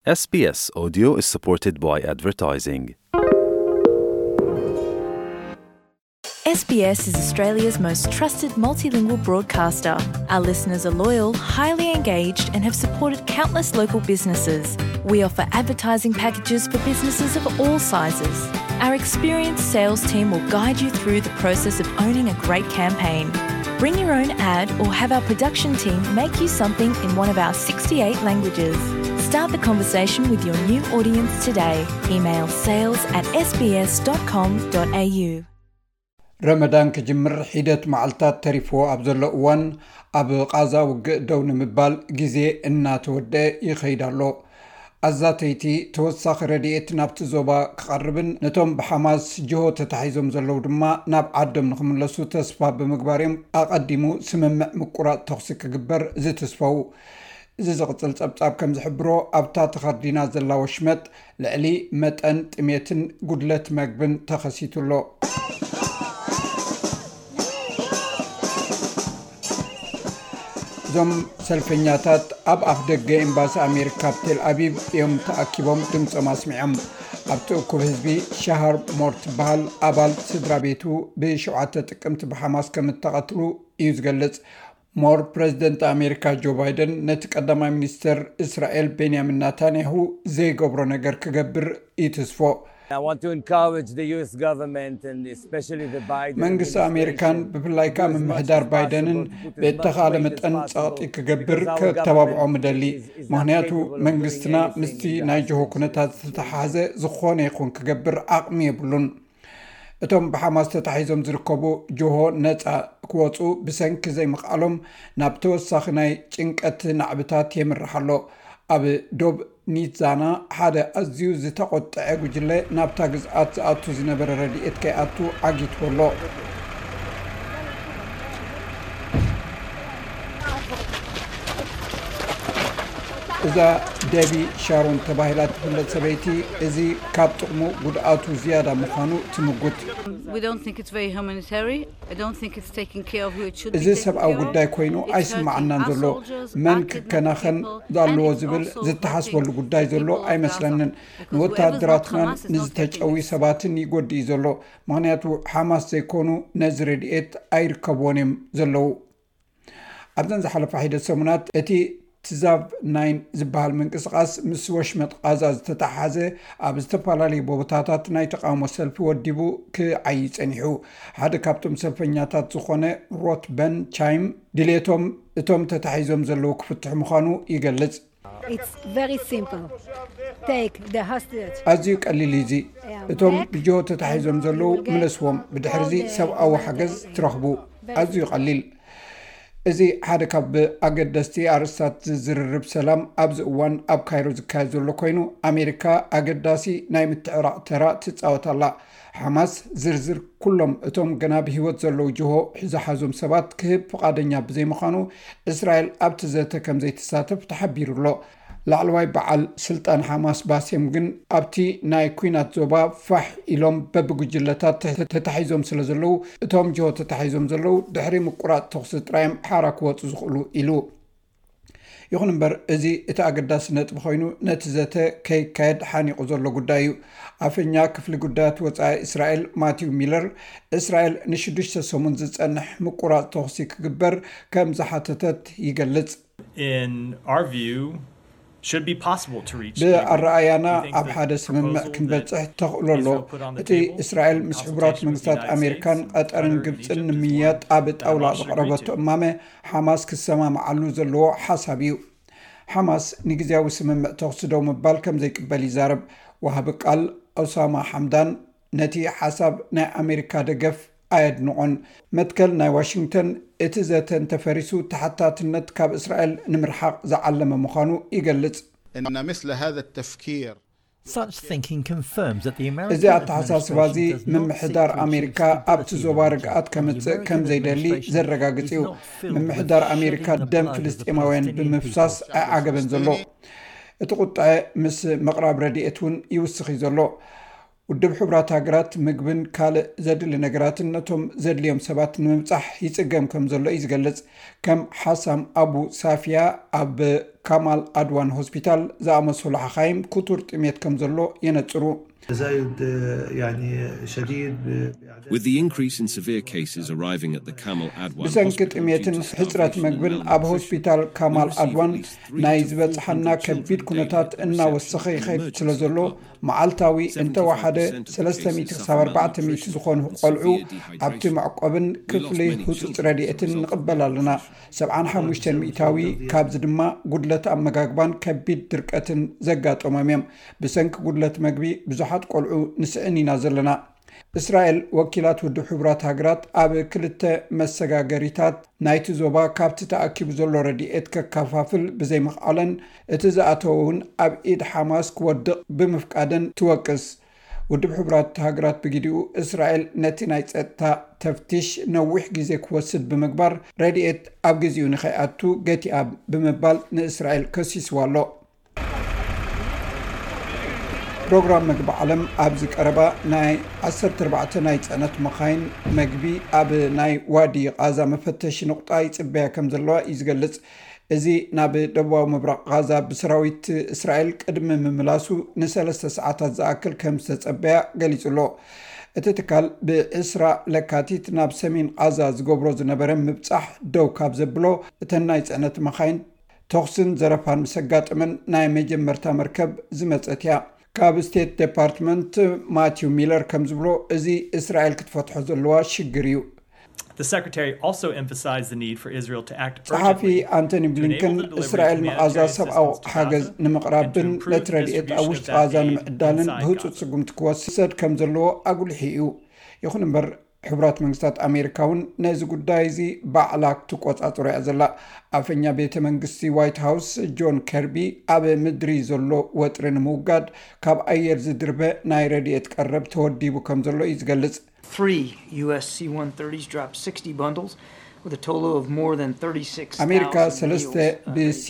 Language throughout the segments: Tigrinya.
S B S Audio is supported by advertising. S B S is Australia's most trusted multilingual broadcaster. Our listeners are loyal, highly engaged, and have supported countless local businesses. We offer advertising packages for businesses of all sizes. Our experienced sales team will guide you through the process of owning a great campaign. Bring your own ad or have our production team make you something in one of our sixty-eight languages. Start the conversation with your new audience today. Email sales at S B S dot com dot A U. ረመዳን ክጅምር ሒደት መዓልታት ተሪፍዎ ኣብ ዘሎ እዋን፣ ኣብ ቓዛ ውግእ ደው ንምባል ግዜ እናተወደአ ይኸይድ ኣሎ። ኣዛተይቲ ተወሳኺ ረድኤት ናብቲ ዞባ ክቐርብን ነቶም ብሓማስ ጅሆ ተታሒዞም ዘለዉ ድማ ናብ ዓዶም ንኽምለሱ ተስፋ ብምግባር እዮም ኣቐዲሙ ስምምዕ ምቁራጽ ተኹሲ ክግበር ዝትስፈው። እዚ ዝቕጽል ጸብጻብ ከም ዝሕብሮ፣ ኣብታ ተኸርዲና ዘላ ወሽመጥ ልዕሊ መጠን ጥሜትን ጉድለት መግብን ተኸሲቱ ኣሎ። እዞም ሰልፈኛታት ኣብ ኣፍ ደገ ኤምባሲ ኣሜሪካ ኣብ ቴል ኣቪቭ እዮም ተኣኪቦም ድምፆም ኣስሚዖም። ኣብቲ እኩብ ህዝቢ ሻሃር ሞር ትበሃል ኣባል ስድራ ቤቱ ብሸውዓተ ጥቅምቲ ብሓማስ ከም እተቐትሉ እዩ ዝገልጽ። ሞር ፕረዚደንት ኣሜሪካ ጆ ባይደን ነቲ ቀዳማይ ሚኒስተር እስራኤል ቤንያሚን ናታንያሁ ዘይገብሮ ነገር ክገብር ይትስፎ። I want to encourage the U S government and especially the Biden መንግስቲ ኣሜሪካን administration ብፍላይ ከዓ ምምሕዳር ባይደንን ብእተኻለ መጠን ጸቕጢ ክገብር ከተባብዖም እደሊ። ምክንያቱ መንግስትና ምስቲ ናይ ጅሆ ኩነታት ዝተተሓዘ ዝኾነ ይኹን ክገብር ዓቕሚ የብሉን። እቶም ብሓማስ ተታሒዞም ዝርከቡ ጅሆ ነፃ ክወፁ ብሰንኪ ዘይምኽኣሎም ናብ ተወሳኺ ናይ ጭንቀት ናዕብታት የምርሕ ኣሎ። ኣብ ዶብ ኒትዛና ሓደ ኣዝዩ ዝተቖጠዐ ጉጅለ ናብታ ግዝኣት ዝኣቱ ዝነበረ ረድኤት ከይኣቱ ዓጊትዎ ኣሎ። እዛ ደቢ ሻሮን ተባሂላ ትፍለጥ ሰበይቲ፣ እዚ ካብ ጥቕሙ ጉድኣቱ ዝያዳ ምዃኑ ትምጉት። We don't think it's very humanitarian. I don't think it's taking care of who it should እዚ be taking ሰብኣዊ care of. ጉዳይ ኮይኑ It's ኣይስማዓናን hurting us ዘሎ። soldiers መን and kidnapped ክከናኸን people, ዛለዎ and it's ዝብል also ዝተሓስበሉ hurting ጉዳይ ዘሎ people of ኣይመስለንን። Gaza. Because whoever's not ንወታደራትናን Hamas is not ንዝተጨውዩ helping us. ሰባትን ይጎድእ እዩ ዘሎ። ምክንያቱ ሓማስ ዘይኮኑ ነዚ ረድኤት ኣይርከብዎን እዮም ዘለዉ። ኣብዘን ዝሓለፋ ሒደት ሰሙናት እቲ ትዛብ ናይን ዝበሃል ምንቅስቓስ ምስ ወሽመጥ ቓዛ ዝተተሓሓዘ ኣብ ዝተፈላለዩ ቦታታት ናይ ተቃውሞ ሰልፊ ወዲቡ ክዓይ ጸኒሑ። ሓደ ካብቶም ሰልፈኛታት ዝኾነ ሮት በን ቻይም ድሌቶም እቶም ተታሒዞም ዘለዉ ክፍትሑ ምዃኑ ይገልጽ። It's very simple. Take the hostage. ኣዝዩ ቀሊል እዩ እዚ። እቶም ብጅሆ ተታሒዞም ዘለዉ ምለስዎም፣ ብድሕርዚ ሰብኣዊ ሓገዝ ትረኽቡ። ኣዝዩ ቀሊል። እዚ ሓደ ካብ ኣገደስቲ ኣርእስታት ዝርርብ ሰላም ኣብዚ እዋን ኣብ ካይሮ ዝካየድ ዘሎ ኮይኑ፣ ኣሜሪካ ኣገዳሲ ናይ ምትዕራቕ ተራ ትጻወት ኣላ። ሓማስ ዝርዝር ኩሎም እቶም ገና ብህይወት ዘለዉ ጅሆ ዝሓዞም ሰባት ክህብ ፍቓደኛ ብዘይምዃኑ፣ እስራኤል ኣብቲ ዘተ ከም ዘይትሳተፍ ተሓቢሩ ኣሎ። ላዕለዋይ በዓል ስልጣን ሓማስ ባሴም ግን ኣብቲ ናይ ኲናት ዞባ ፋሕ ኢሎም በብጉጅለታት ተታሒዞም ስለ ዘለዉ፣ እቶም ጅሆ ተታሒዞም ዘለዉ ድሕሪ ምቁራጽ ተኹሲ ጥራይ እዮም ሓራ ክወጹ ዝኽእሉ ኢሉ። ይኹን እምበር፣ እዚ እቲ ኣገዳሲ ነጥቢ ኮይኑ፣ ነቲ ዘተ ከይካየድ ሓኒቑ ዘሎ ጉዳይ እዩ። ኣፈኛ ክፍሊ ጉዳያት ወጻኢ እስራኤል ማቲው ሚለር፣ እስራኤል ንሽዱሽተ ሰሙን ዝጸንሕ ምቁራጽ ተኹሲ ክግበር ከም ዝሓተተት ይገልጽ። In our view, should be possible to reach. ብኣረኣያና ኣብ ሓደ ስምምዕ ክንበጽሕ ተኽእሎ ኣሎ። እቲ እስራኤል ምስ ሕቡራት መንግስታት ኣሜሪካን ቀጠርን ግብፅን ንምያጥ ኣብ ጣውላ ዘቕረበቶ እማመ፣ ሓማስ ክሰማምዓሉ ዘለዎ ሓሳብ እዩ። ሓማስ ንግዜያዊ ስምምዕ ተኹሲ ደው ምባል ከም ዘይቅበል ይዛረብ። ወሃቢ ቃል ኦሳማ ሓምዳን ነቲ ሓሳብ ናይ ኣሜሪካ ደገፍ ኣየድንቖን። መትከል ናይ ዋሽንግተን፣ እቲ ዘተ እንተፈሪሱ፣ ተሓታትነት ካብ እስራኤል ንምርሓቕ ዝዓለመ ምዃኑ ይገልጽ። إن مثل هذا التفكير Such thinking confirms that the American እዚ ኣተሓሳስባ እዚ ምምሕዳር ኣሜሪካ ኣብቲ ዞባ ርግኣት ከምጽእ ከም ዘይደሊ ዘረጋግጽ እዩ። ምምሕዳር ኣሜሪካ ደም ፍልስጤማውያን ብምፍሳስ ኣይዓገበን ዘሎ። እቲ ቁጥዐ ምስ ምቕራብ ረድኤት እውን ይውስኽ እዩ ዘሎ። ውድብ ሕቡራት ሃገራት ምግብን ካልእ ዘድሊ ነገራትን ነቶም ዘድልዮም ሰባት ንምብጻሕ ይጽገም ከም ዘሎ እዩ ዝገልጽ። ከም ሓሳም ኣቡ ሳፊያ ኣብ ካማል ኣድዋን ሆስፒታል ዝኣመሰሉ ሓኻይም ክቱር ጥሜት ከም ዘሎ የነጽሩ። تزايد يعني شديد With the increase in severe cases arriving at the Kamal Adwan ብሰንኪ hospital ጥሜትን due to ሕፅረት starvation ምግብን and ኣብ malnutrition, ሆስፒታል ካማል we've received ኣድዋን at least three ናይ to four ዝበፅሓና hundred ከቢድ children ኩነታት daily in እናወሰኸ reception ይኸይድ and ስለ ዘሎ emergency መዓልታዊ እንተወሓደ ሰለስተ ሚእቲ ክሳብ ኣርባዕተ ሚእቲ ዝኾኑ ቆልዑ ኣብቲ መዕቆብን ክፍሊ ህፁፅ ረድኤትን ንቕበል ኣለና። ሰብዓን ሓሙሽተን ሚእታዊ ካብዚ ድማ ጉድለት ኣመጋግባን ከቢድ ድርቀትን ዘጋጠሞም እዮም። ብሰንኪ ጉድለት መግቢ ብዙሓት ቆልዑ ንስእን ኢና ዘለና። እስራኤል ወኪላት ውድብ ሕቡራት ሃገራት ኣብ ክልተ መሰጋገሪታት ናይቲ ዞባ ካብቲ ተኣኪቡ ዘሎ ረድኤት ከከፋፍል ብዘይምኽኣለን እቲ ዝኣተወ እውን ኣብ ኢድ ሓማስ ክወድቕ ብምፍቃደን ትወቅስ። ውድብ ሕቡራት ሃገራት ብግዲኡ እስራኤል ነቲ ናይ ጸጥታ ተፍትሽ ነዊሕ ግዜ ክወስድ ብምግባር ረድኤት ኣብ ግዜኡ ንኸይኣቱ ገቲኣ ብምባል ንእስራኤል ከሲስዋ ኣሎ። ፕሮግራም መግቢ ዓለም ኣብዚ ቀረባ ናይ ዓሰርተ ኣርባዕተ ናይ ጽዕነት መኻይን መግቢ ኣብ ናይ ዋዲ ቓዛ መፈተሺ ንቑጣ ይጽበያ ከም ዘለዋ እዩ ዝገልጽ። እዚ ናብ ደቡባዊ ምብራቕ ቓዛ ብሰራዊት እስራኤል ቅድሚ ምምላሱ ንሰለስተ ሰዓታት ዝኣክል ከም ዝተጸበያ ገሊጹ ኣሎ። እቲ ትካል ብዕስራ ለካቲት ናብ ሰሜን ቓዛ ዝገብሮ ዝነበረ ምብጻሕ ደው ካብ ዘብሎ እተን ናይ ጽዕነት መኻይን ተኹስን ዘረፋን ምስ ኣጋጠመን ናይ መጀመርታ መርከብ ዝመጸት እያ። ካብ ስቴት ዴፓርትመንት ማቲው ሚለር ከም ዝብሎ እዚ እስራኤል ክትፈትሖ ዘለዋ ሽግር እዩ። The secretary also emphasized the need for Israel to act ጸሓፊ urgently ኣንቶኒ ብሊንከን እስራኤል ንቓዛ ሰብኣዊ ሓገዝ ንምቕራብን ነቲ ረድኤት ኣብ ውሽጢ ቓዛ ንምዕዳልን ብህፁፅ ስጉምቲ ክወስድ ከም ዘለዎ ኣጉልሒ እዩ። ይኹን እምበር ሕቡራት መንግስታት ኣሜሪካ እውን ነዚ ጉዳይ እዚ ባዕላ ክትቆፃፀሮ እያ ዘላ። ኣፈኛ ቤተ መንግስቲ ዋይት ሃውስ ጆን ከርቢ ኣብ ምድሪ ዘሎ ወጥሪ ንምውጋድ ካብ ኣየር ዝድርበ ናይ ረድኤት ቀረብ ተወዲቡ ከም ዘሎ እዩ ዝገልጽ። Three U S C one thirties dropped sixty bundles with a total of more than thirty-six thousand meals. ኣሜሪካ ሰለስተ ብሲ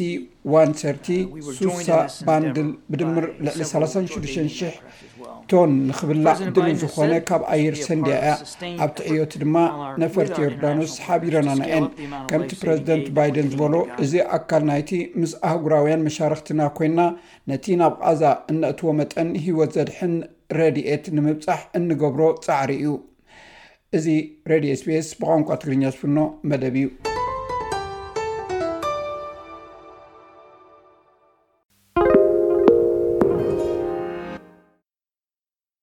ዋን ሰርቲ ሱሳ ባንድል ብድምር ልዕሊ ሰላሳን ሽዱሽተን ሽሕ ቶን ንኽብላዕ ድሉ ዝኾነ ካብ ኣየር ሰንድያ እያ። ኣብቲ ዕዮት ድማ ነፈርቲ ዮርዳኖስ ሓቢረናና እየን። ከምቲ ፕረዚደንት ባይደን ዝበሎ እዚ ኣካል ናይቲ ምስ ኣህጉራውያን መሻርክትና ኮይና ነቲ ናብ ቓዛ እነእትዎ መጠን ህይወት ዘድሕን ረድኤት ንምብጻሕ እንገብሮ ጻዕሪ እዩ። እዚ ሬድዮ ኤስቢኤስ ብቋንቋ ትግርኛ ዝፍኖ መደብ እዩ።